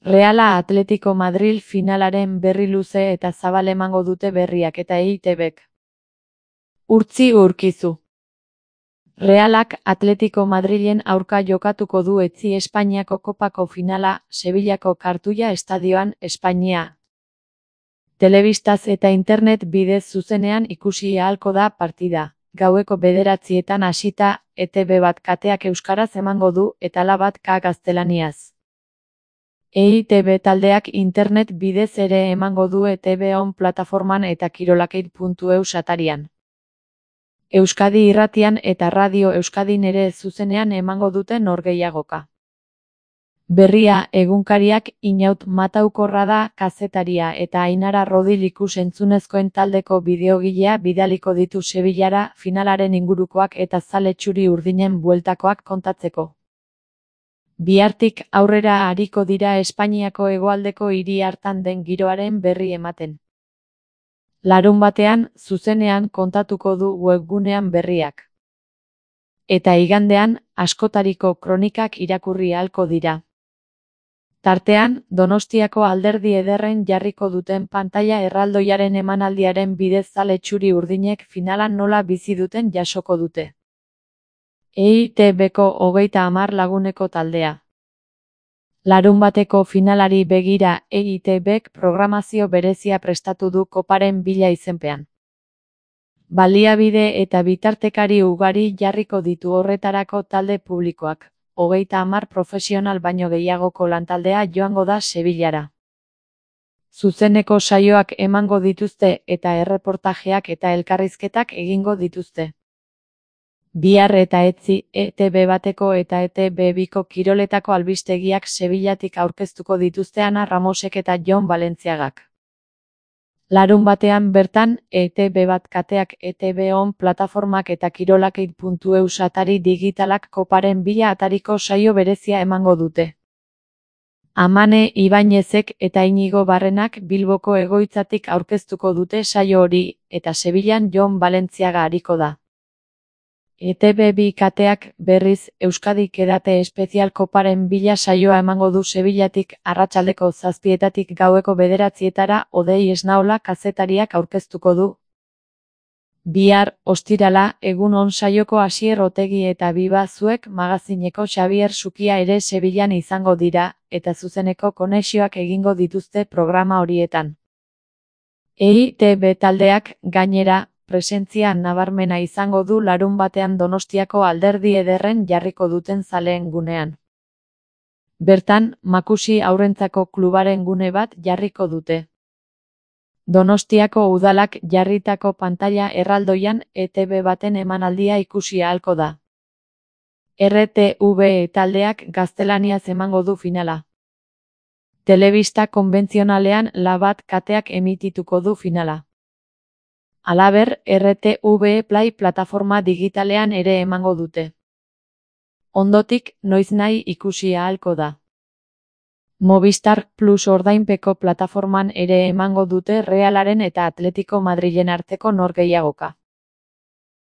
Reala Atletico Madril finalaren berri luze eta zabal emango dute berriak eta EITBek. Urtzi urkizu. Realak Atletico Madrilen aurka jokatuko du etzi Espainiako kopako finala, Sevillako Kartuia estadioan, Espainia. Telebistaz eta internet bidez zuzenean ikusi ahalko da partida. Gaueko 9:00 hasita, ETB bat kateak euskaraz emango du eta la bat gaztelaniaz. EITB taldeak internet bidez ere emango du ETB on plataforman eta kirolakeit.eus atarian. Euskadi irratian eta Radio Euskadin ere zuzenean emango dute norgehiagoka. Berria egunkariak Inaut Mataukorra da kazetaria eta Ainara Rodil ikus-entzunezkoen taldeko bideogilea bidaliko ditu Sevillara finalaren ingurukoak eta zale txuri urdinen bueltakoak kontatzeko. Bihartik aurrera ariko dira Espainiako hegoaldeko hiri hartan den giroaren berri ematen. Larunbatean, zuzenean kontatuko du webgunean berriak. Eta igandean, askotariko kronikak irakurri ahalko dira. Tartean, Donostiako Alderdi Ederren jarriko duten pantaila erraldoiaren emanaldiaren bidez zale txuri urdinek finalan nola bizi duten jasoko dute. EITBko 30 laguneko taldea. Larunbateko finalari begira EITBek programazio berezia prestatu du koparen bila izenpean. Baliabide eta bitartekari ugari jarriko ditu horretarako talde publikoak. 30 profesional baino gehiagoko lantaldea joango da Sevillara. Zuzeneko saioak emango dituzte eta erreportajeak eta elkarrizketak egingo dituzte. Bihar eta etzi, ETB bateko eta ETB biko kiroletako albistegiak Sevillatik aurkeztuko dituzte Ana Ramosek eta Jon Balentziagak. Larunbatean bertan, ETB bat kateak ETB on plataformak eta kirolakeit.eus atari digitalak koparen bila atariko saio berezia emango dute. Amane Ibañezek eta Inigo Barrenak Bilboko egoitzatik aurkeztuko dute saio hori, eta Sevillan Jon Balentziaga ariko da. ETB bi kateak, berriz, Euskadik edate espezial koparen bila saioa emango du Sevillatik arratsaldeko 7:00 gaueko 9:00 Odei Esnaola kazetariak aurkeztuko du. Bihar, ostirala, egun on saioko Asier Otegi eta Biba Zuek magazineko Xabier Sukia ere Sevillan izango dira, eta zuzeneko konexioak egingo dituzte programa horietan. EITB taldeak, gainera, presentzia nabarmena izango du larunbatean Donostiako Alderdi Ederren jarriko duten zaleen gunean. Bertan, Makusi haurrentzako klubaren gune bat jarriko dute. Donostiako udalak jarritako pantaila erraldoian ETB baten emanaldia ikusi ahalko da. RTV taldeak gaztelaniaz emango du finala. Telebista konbentzionalean la bat kateak emitituko du finala. Halaber, RTV Play plataforma digitalean ere emango dute. Ondotik, noiznahi ikusi ahalko da. Movistar Plus ordainpeko plataforman ere emango dute Realaren eta Atletico Madrilen arteko norgehiagoka.